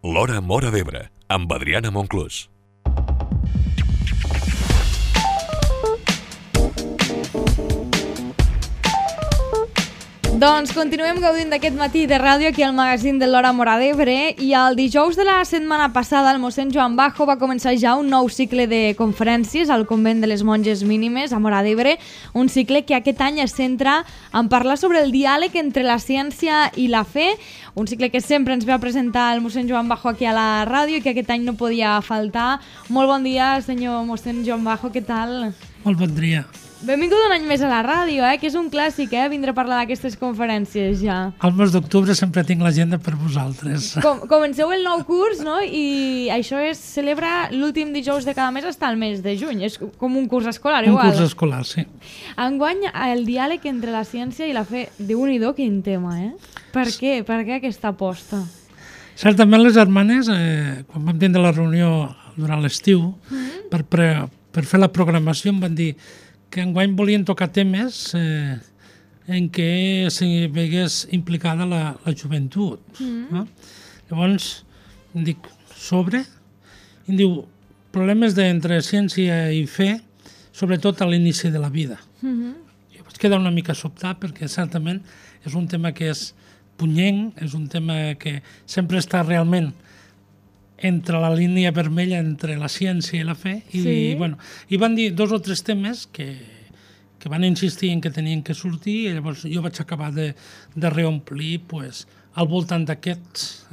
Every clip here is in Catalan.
L'Hora Móra d'Ebre, amb Adriana Monclús. Doncs continuem gaudint d'aquest matí de ràdio aquí al magazín de l'Hora Móra d'Ebre, i el dijous de la setmana passada el mossèn Joan Bajo va començar ja un nou cicle de conferències al convent de les Monges Mínimes a Móra d'Ebre, un cicle que aquest any es centra en parlar sobre el diàleg entre la ciència i la fe, un cicle que sempre ens ve a presentar el mossèn Joan Bajo aquí a la ràdio i que aquest any no podia faltar. Molt bon dia, senyor mossèn Joan Bajo, què tal? Molt bon dia. Benvingut un any més a la ràdio, que és un clàssic, vindre a parlar d'aquestes conferències ja. Al mes d'octubre sempre tinc l'agenda per vosaltres. Comenceu el nou curs, no? I això es celebra l'últim dijous de cada mes fins al mes de juny. És com un curs escolar, igual. Un curs escolar, sí. Enguany, el diàleg entre la ciència i la fe. Déu-n'hi-do, quin tema, Per què? Per què aquesta aposta? Certament les germanes, quan vam tindre la reunió durant l'estiu, per fer la programació em van dir que enguany volien tocar temes en què s'hi vegués implicada la joventut. No? Llavors, em dic, sobre? I em diu, problemes entre ciència i fe, sobretot a l'inici de la vida. Jo vaig quedar una mica sobtat perquè certament és un tema que és punyent, és un tema que sempre està realment entre la línia vermella entre la ciència i la fe, i van dir 2 o 3 temes que van insistir en que tenien que sortir, i llavors jo vaig acabar de reomplir al voltant d'aquests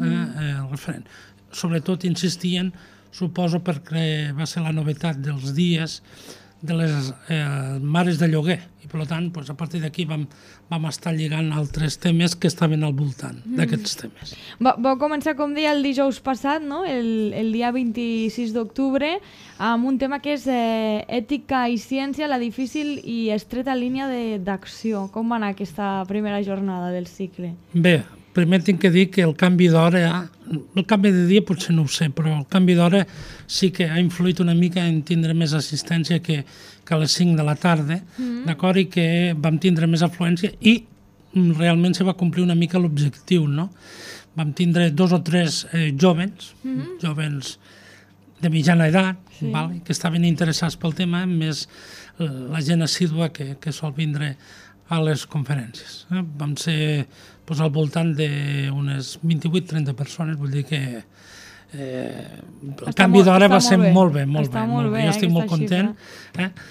referent. Sobretot insistien, suposo perquè va ser la novetat dels dies de les mares de lloguer, i per tant, a partir d'aquí vam estar lligant altres temes que estaven al voltant d'aquests temes. Vau començar, com deia, el dijous passat, no? el dia 26 d'octubre, amb un tema que és ètica i ciència, la difícil i estreta línia d'acció. Com va anar aquesta primera jornada del cicle? Bé, primer tinc que dir que el canvi d'hora, el canvi de dia potser no ho sé, però el canvi d'hora sí que ha influït una mica en tindre més assistència que a les 5 de la tarda, d'acord, i que vam tindre més afluència i realment se va complir una mica l'objectiu, no? Vam tindre 2 o 3 jovens de mitjana edat, que estaven interessats pel tema, més la gent assídua que sol vindre a les conferències. Vam ser al voltant d'unes 28-30 persones, vull dir que el canvi d'hora va ser molt bé, molt bé. Jo estic molt content.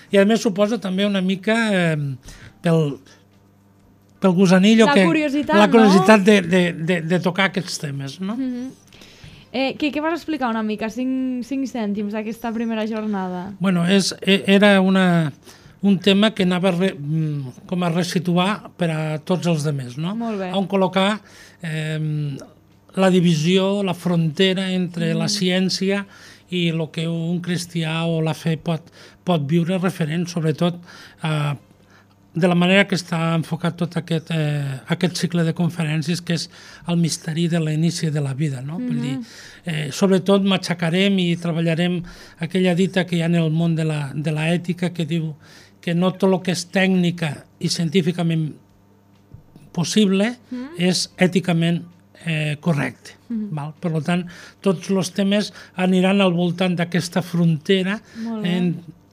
I a més suposa també una mica pel gusanillo, la curiositat de tocar aquests temes, no? Què vas explicar una mica? 5 cèntims d'aquesta primera jornada. Bueno, era un tema que anava com a resituar per a tots els altres, no? On col·locar la divisió, la frontera entre la ciència i el que un cristià o la fe pot viure referent, sobretot de la manera que està enfocat tot aquest cicle de conferències, que és el misteri de l'inici de la vida, no? Vull dir, sobretot matxacarem i treballarem aquella dita que hi ha en el món de l'ètica, que diu que no tot el que és tècnica i científicament possible és èticament correcte. Per tant, tots els temes aniran al voltant d'aquesta frontera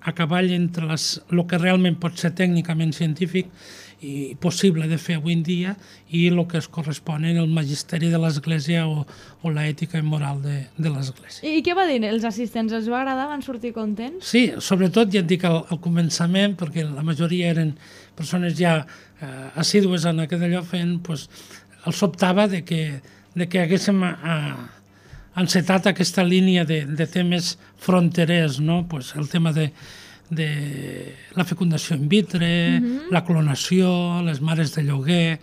a cavall entre el que realment pot ser tècnicament científic i possible de fer avui en dia i el que es correspon en el magisteri de l'Església o l'ètica i moral de l'Església. I què va dir els assistents? Els va agradar? Van sortir contents? Sí, sobretot ja et dic al començament, perquè la majoria eren persones ja assídues en aquest allò fent, els sobtava de que haguéssim encetat aquesta línia de temes fronterers, no? El tema de la fecundació in vitro, la clonació, les mares de lloguer,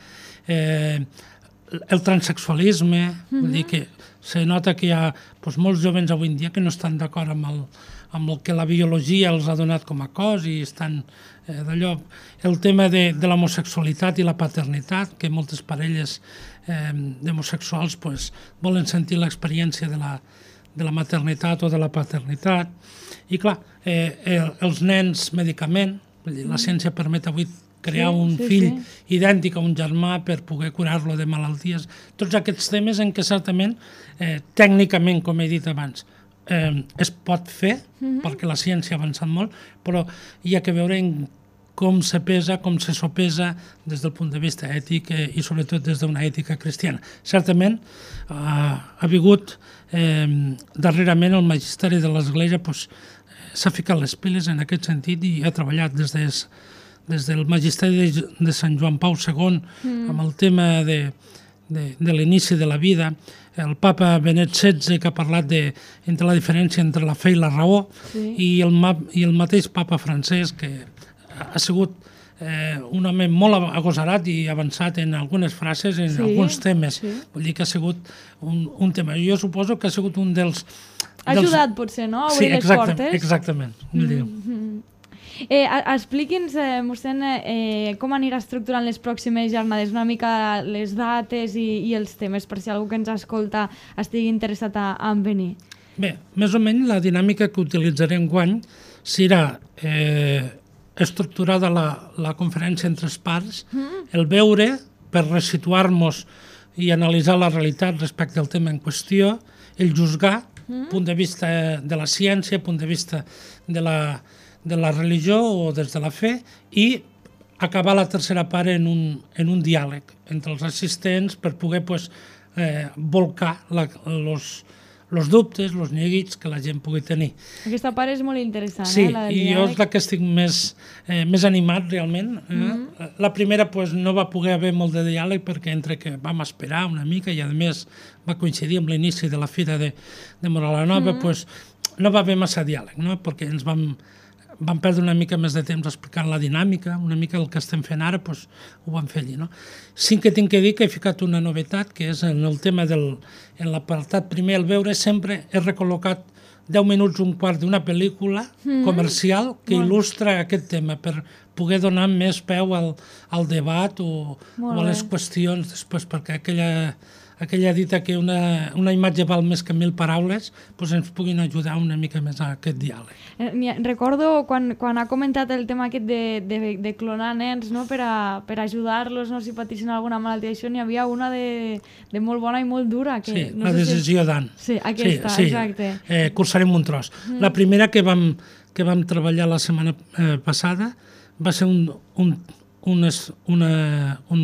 el transexualisme, vull dir que se nota que hi ha molts jovens avui en dia que no estan d'acord amb el que la biologia els ha donat com a cos i estan d'allò. El tema de l'homosexualitat i la paternitat, que moltes parelles d'homosexuals volen sentir l'experiència de la maternitat o de la paternitat. I clar, els nens medicament, la ciència permet avui crear un fill idèntic a un germà per poder curar-lo de malalties. Tots aquests temes en què certament, tècnicament, com he dit abans, es pot fer, perquè la ciència ha avançat molt, però hi ha que veure en com se pesa, com se sopesa des del punt de vista ètic i sobretot des d'una ètica cristiana. Certament ha hagut darrerament el magisteri de l'Església s'ha ficat les piles en aquest sentit i ha treballat des del magisteri de Sant Joan Pau II amb el tema de l'inici de la vida, el papa Benet XVI que ha parlat entre la diferència entre la fe i la raó i el mateix papa francès que ha sigut un home molt agosarat i avançat en algunes frases, en alguns temes. Vull dir que ha sigut un tema. Jo suposo que ha sigut un dels... Ha ajudat, potser, no? A obrir les portes. Exactament. Expliqui'ns, mossèn, com anirà estructurant les pròximes jornades, una mica les dates i els temes, per si algú que ens escolta estigui interessat en venir. Bé, més o menys la dinàmica que utilitzarem enguany serà estructurada la conferència en 3 parts, el veure per resituar-nos i analitzar la realitat respecte al tema en qüestió, el juzgar, punt de vista de la ciència, punt de vista de la religió o des de la fe, i acabar la tercera part en un diàleg entre els assistents per poder volcar els dubtes, els neguits que la gent pugui tenir. Aquesta part és molt interessant, sí, la del diàleg. Sí, i jo és la que estic més animat realment. La primera no va poder haver molt de diàleg perquè entre que vam esperar una mica i a més va coincidir amb l'inici de la Fira de Móra la Nova, no va haver massa diàleg, perquè ens vam perdre una mica més de temps explicant la dinàmica, una mica el que estem fent ara, ho vam fer allí. Sí que tinc que dir que he ficat una novetat, que és en el tema en l'apartat primer, el veure, sempre he recol·locat 10 minuts, un quart d'una pel·lícula comercial que il·lustra aquest tema, per poder donar més peu al debat o a les qüestions després, perquè aquella dita que una imatge val més que 1000 paraules, ens puguin ajudar una mica més a aquest diàleg. Recordo quan ha comentat el tema aquest de clonar nens per ajudar-los, si patissin alguna malaltia, això n'hi havia una de molt bona i molt dura. Sí, la decisió d'Anne. Sí, aquesta, exacte. Cursarem un tros. La primera que vam treballar la setmana passada va ser un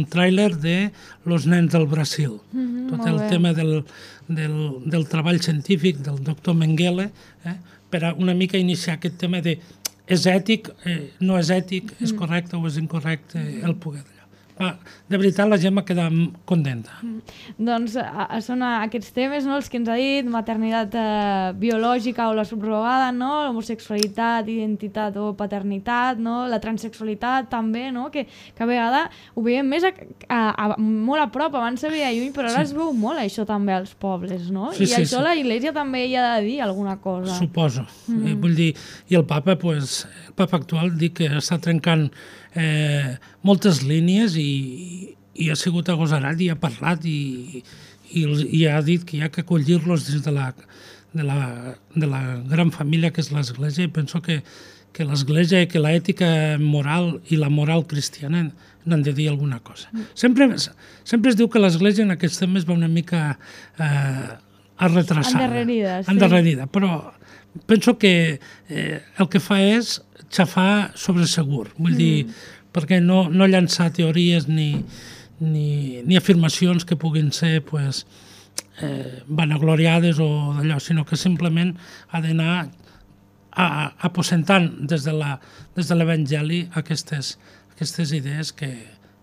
tràiler de Los nens del Brasil. Tot el tema del treball científic del doctor Mengele, per a una mica iniciar aquest tema de és ètic, no és ètic, és correcte o és incorrecte el poder d'allò. De veritat, la gent va quedar contenta. Doncs són aquests temes, els que ens ha dit, maternitat biològica o la subrogada, l'homosexualitat, identitat o paternitat, la transsexualitat també, que a vegades ho veiem més molt a prop, abans se veia lluny, però ara es veu molt això també als pobles, no? I això la Iglesia també hi ha de dir alguna cosa. Suposo. Vull dir, i el papa actual dic que està trencant moltes línies i ha sigut agosarat i ha parlat i ha dit que hi ha que acollir-los dins de la gran família que és l'Església, i penso que l'Església i que l'ètica moral i la moral cristiana n'han de dir alguna cosa. Sempre es diu que l'Església en aquests temes va una mica retrasada. Endarrerida, però penso que el que fa és xafar sobre segur, vull dir, perquè no llançar teories ni afirmacions que puguin ser vanagloriades o d'allò, sinó que simplement ha d'anar aposentant des de l'Evangeli aquestes idees que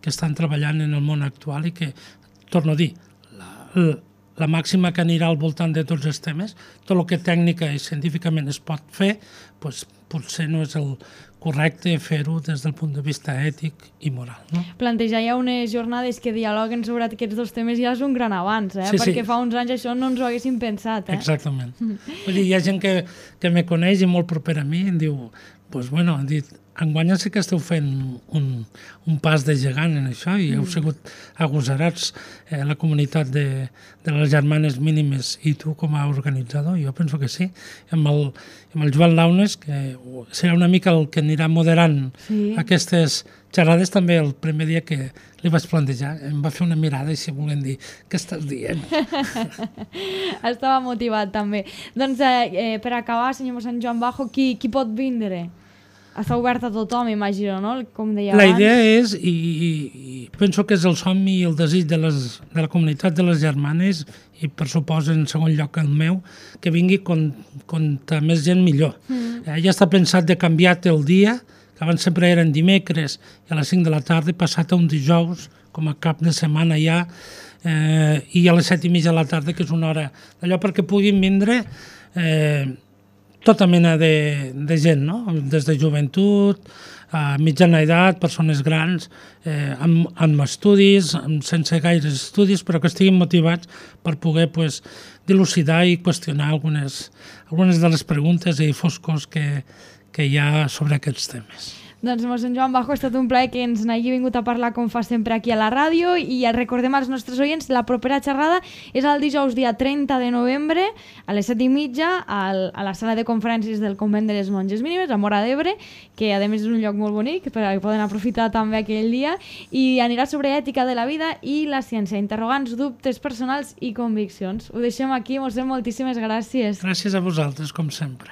estan treballant en el món actual i que, torno a dir, la màxima que anirà al voltant de tots els temes, tot el que tècnica i científicament es pot fer, potser no és el correcte fer-ho des del punt de vista ètic i moral. Plantejar ja unes jornades que dialoguen sobre aquests dos temes ja és un gran avanç, perquè fa uns anys això no ens ho haguéssim pensat. Exactament. Vull dir, hi ha gent que me coneix i molt proper a mi i em diu, han dit, enguany sí que esteu fent un pas de gegant en això i heu sigut agosarats la comunitat de les germanes mínimes i tu com a organitzador, jo penso que sí. Amb el Joan Launes, que serà una mica el que anirà moderant aquestes xerrades, també el primer dia que li vaig plantejar, em va fer una mirada i si volem dir, què estàs dient? Estava motivat també. Doncs per acabar, senyor mossèn Joan Bajo, qui pot vindre? Està obert a tothom, imagino, no? Com deia abans. La idea és, i penso que és el somni i el desig de la comunitat de les germanes, i per suposo en segon lloc el meu, que vingui contra més gent millor. Ja està pensat de canviar-te el dia, que abans sempre eren dimecres i a les 5 de la tarda, passat a un dijous, com a cap de setmana ja, i a les 7:30 de la tarda, que és una hora d'allò perquè puguin vindre tota mena de gent, no? Des de joventut, a mitjana edat, persones grans, amb estudis, sense gaires estudis, però que estiguin motivats per poder dilucidar i qüestionar algunes de les preguntes i foscors que hi ha sobre aquests temes. Doncs, mossèn Joan Bajo, ha estat un plaer que ens n'hagi vingut a parlar com fa sempre aquí a la ràdio i recordem als nostres oients, la propera xerrada és el dijous dia 30 de novembre a les 7:30 a la sala de conferències del Convent de les Monges Mínimes, a Móra d'Ebre, que a més és un lloc molt bonic perquè poden aprofitar també aquell dia, i anirà sobre ètica de la vida i la ciència, interrogants, dubtes personals i conviccions. Ho deixem aquí, mossèn, moltíssimes gràcies. Gràcies a vosaltres, com sempre.